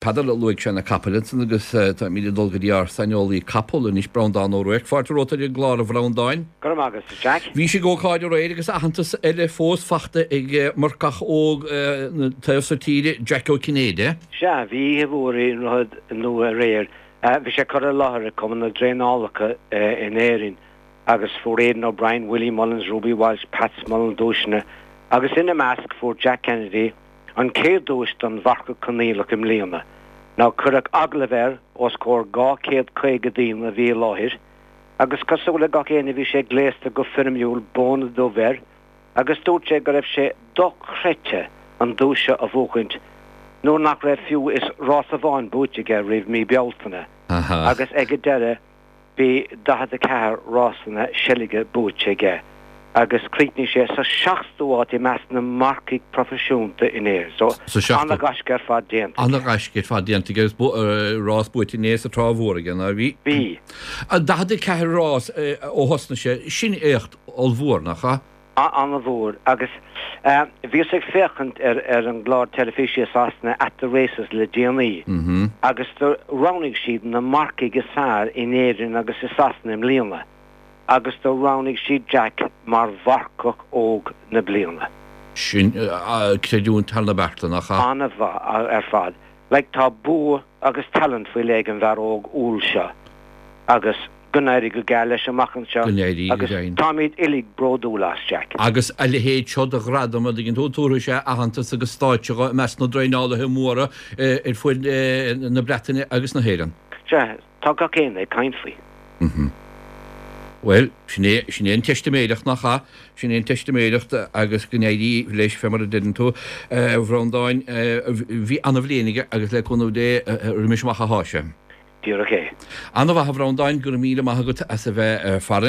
Peadar, Luaigh sé na capaill ansan agus táimid ag dul go dtí ár saineolaí capall anois, Breandán Ó Ruairc. Fáilte romhat ar an gclár a Bhreandáin. Go raibh maith agat, a Jack. Bhís ag ócáid aréir agus aitheantas eile fós fachta ag marcach óg na taobh so tíre, Jack Ó Cinnéide. Sea, bhí oíche mhór i nDroichead Nua aréir. Bhí sé curtha i láthair ag Cumann na dTraenálacha in Éirinn agus fuair Aidan O'Brien, Willie Mullins, Ruby Walsh, Pat Smullen duaiseanna agus ina measc fuair Jack Kennedy, An chéad duais don mharcach coinníollach i mbliana. Now cuireadh agallamh air os comhair 250 daoine a bhí i láthair agus cosúil le gach éinne bhí sé gléasta go foirmiúil, bóna dubh air agus dúirt sé go raibh sé dochreidte an duais seo a bhuachaint nuair nach raibh fiú is rás amháin buaite aige roimh mí Bealtaine agus ag an deireadh Bhí 44 rásanna seilge buaite aige agus chríochnaigh sé sa seachtú háit i measc na marcaigh proifisiúnta in Éirinn. So, ana-ghaisce ar fad déanta aige. Ana-ghaisce ar fad déanta aige agus rás buaite inné sa Trá Mhór aige, nár bhí? Bhí. 44 rás ó thosnaigh sé, sin éacht ollmhór, nach ea? An-mhór. Agus bhíos ag féachaint ar an gclár teilifíse i Sasana At The Races le déanaí agus do roghnaigh siad na marcaigh is fearr in Éirinn agus i Sasana i mbliana agus do roghnaigh siad Jack mar mharcach óg na bliana. Sin creidiúint thar na bearta, nach ea? An-mhaith ar fad. Like tá bua agus talent faoi leith ag an bhfear óg umhal seo agus Go n-éirí go geal leis amach anseo Go n-éirí go agus deimhin. táimid uilig bródúil as, Jack. Agus a leithéid seo de ghradam, a dtuigeann tú, tabharfaidh sé aitheantas agus stáitse dho i measc na dtraenálaithe móra ar fud na Breataine agus na hÉireann. Sea, tá gach éinne ag caint faoi. Bhuel, sin é, sin é an teistiméireacht, nach ea? Sin é an teistiméireacht agus go n-éirí leis, fé mar a deireann tú, a Bhreandáin. Bhí ana-bhliain aige agus le cúnamh Dé, roimis amach athá sé. Díreach é. Ana-mhaith a Bhreandáin, go raibh míle maith agat as a bheith farainn.